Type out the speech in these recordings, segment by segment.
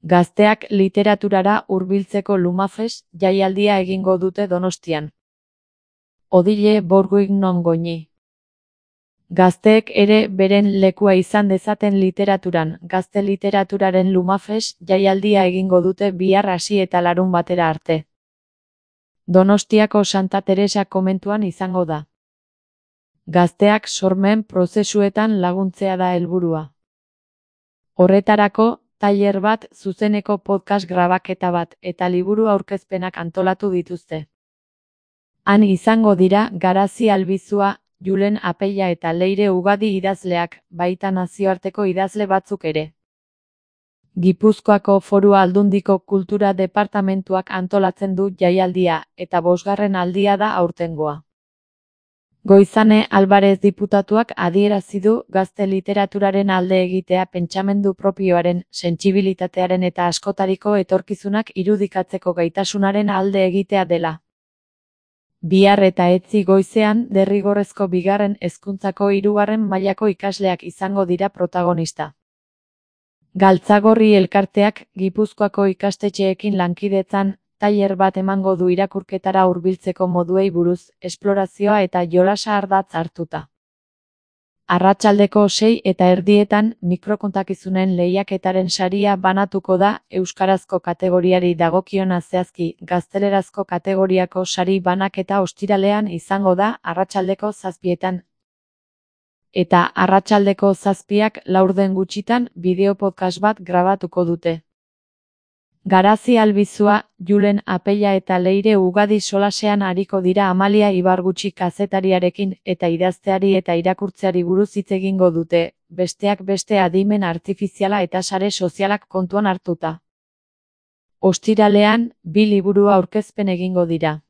Gazteak literaturara hurbiltzeko Lumafest jaialdia egingo dute Donostian. Odile Bourguignon Goñi. Gazteek ere beren lekua izan dezaten literaturan, gazte literaturaren Lumafest jaialdia egingo dute bihar hasi eta larunbatera arte. Donostiako Santa Teresa komentuan izango da. Gazteak sormen prozesuetan laguntzea da helburua. Horretarako, tailer bat, zuzeneko podcast grabaketa bat eta liburu aurkezpenak antolatu dituzte. Han izango dira Garazi Albizua, Julen Apeia eta Leire Ugadi idazleak, baita nazioarteko idazle batzuk ere. Gipuzkoako Foru Aldundiko Kultura Departamentuak antolatzen du jaialdia, eta 5. aldia da aurtengoa. Goizane Alvarez diputatuak adierazi du gazte literaturaren alde egitea pentsamendu propioaren, sentsibilitatearen eta askotariko etorkizunak irudikatzeko gaitasunaren alde egitea dela. Bihar eta etzi goizean derrigorrezko 2. hezkuntzako 3. mailako ikasleak izango dira protagonista. Galtzagorri elkarteak Gipuzkoako ikastetxeekin lankidetzan tailer bat emango du irakurketara hurbiltzeko moduei buruz, esplorazioa eta jolasa ardatz hartuta. Arratsaldeko 6:30 mikrokontakizunen lehiaketaren saria banatuko da, euskarazko kategoriari dagokiona zehazki, gaztelerazko kategoriako sari banaketa ostiralean izango da, arratsaldeko 7:00. Eta arratsaldeko 7:00 gutxitan bideo podcast bat grabatuko dute. Garazi Albizua, Julen Apeia eta Leire Ugadi solasean ariko dira Amalia Ibargutxi kazetariarekin eta idazteari eta irakurtzeari buruz hitz egingo dute, besteak beste adimen artifiziala eta sare sozialak kontuan hartuta. Ostiralean, 2 liburu aurkezpen egingo dira.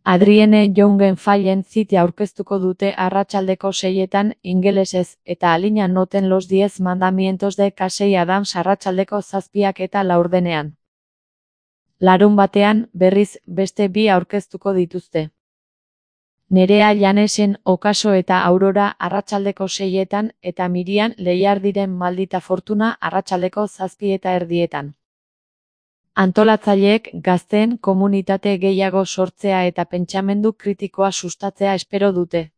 Adrienne Joungen Fallen City aurkeztuko dute arratsaldeko 6:00 ingelesez, eta Alina noten los 10 mandamientos de Casey Adams arratsaldeko 7:40. Larunbatean, berriz, beste 2 aurkeztuko dituzte. Nerea Llanesen Okaso eta Aurora arratsaldeko 6:00 eta Mirian Leiardiren Maldita Fortuna arratsaldeko 7:30. Antolatzaileek gazteen komunitate gehiago sortzea eta pentsamendu kritikoa sustatzea espero dute.